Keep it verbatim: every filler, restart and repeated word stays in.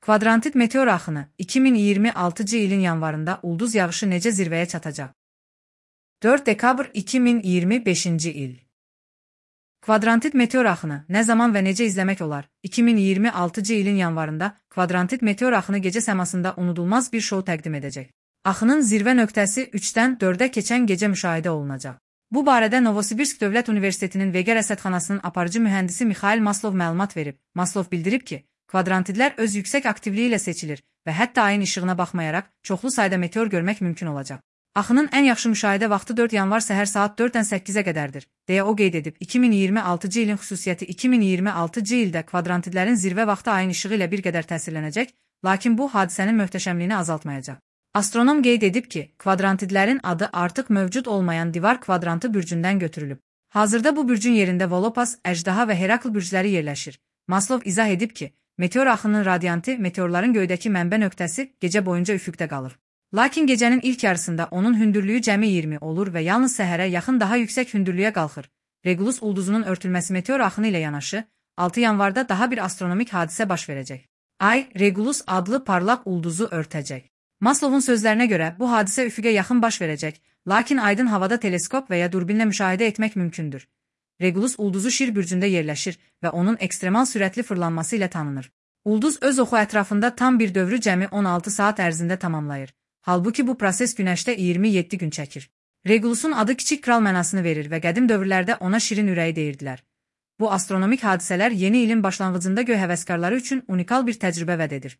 Kvadrantit meteor axını iki min iyirmi altıncı ilin yanvarında ulduz yağışı necə zirvəyə çatacaq? dörd dekabr iki min iyirmi beşinci il. Kvadrantit meteor axını nə zaman və necə izləmək olar? iki min iyirmi altıncı ilin yanvarında kvadrantit meteor axını gecə səmasında unudulmaz bir şou təqdim edəcək. Axının zirvə nöqtəsi üçdən dördə keçən gecə müşahidə olunacaq. Bu barədə Novosibirsk Dövlət Universitetinin Vega rəsədxanasının aparıcı mühəndisi Mixail Maslov məlumat verib. Maslov bildirib ki, kvadrantitlər öz yüksək aktivliyi ilə seçilir və hətta ayın işığına baxmayaraq çoxlu sayda meteor görmək mümkün olacaq. Axının ən yaxşı müşahidə vaxtı dörd yanvar səhər saat dörddən səkkizə qədərdir, deyə o qeyd edib. iki min iyirmi altıncı ilin xüsusiyyəti iki min iyirmi altıncı ildə kvadrantitlərin zirvə vaxtı ayın işığı ilə bir qədər təsirlənəcək, lakin bu hadisənin möhtəşəmliyini azaltmayacaq. Astronom qeyd edib ki, kvadrantitlərin adı artıq mövcud olmayan divar kvadrantı bürcündən götürülüb. Hazırda bu bürcün yerində Volopas, Əjdaha və Herakl bürcləri yerləşir. Maslov izah edib ki, meteor axının radiantı meteorların göydəki mənbə nöqtəsi gecə boyunca üfüqdə qalır. Lakin gecənin ilk yarısında onun hündürlüyü cəmi iyirmi olur və yalnız səhərə yaxın daha yüksək hündürlüyə qalxır. Regulus ulduzunun örtülməsi meteor axını ilə yanaşı, altı yanvarda daha bir astronomik hadisə baş verəcək. Ay, Regulus adlı parlaq ulduzu örtəcək. Maslovun sözlərinə görə bu hadisə üfüqə yaxın baş verəcək, lakin aydın havada teleskop və ya durbinlə müşahidə etmək mümkündür. Regulus ulduzu Şir bürcündə yerləşir və onun ekstremal sürətli fırlanması ilə tanınır. Ulduz öz oxu ətrafında tam bir dövrü cəmi on altı saat ərzində tamamlayır. Halbuki bu proses Günəşdə iyirmi yeddi gün çəkir. Regulusun adı kiçik kral mənasını verir və qədim dövrlərdə ona şirin ürəyi deyirdilər. Bu astronomik hadisələr yeni ilin başlanğıcında göy həvəskarları üçün unikal bir təcrübə vəd edir.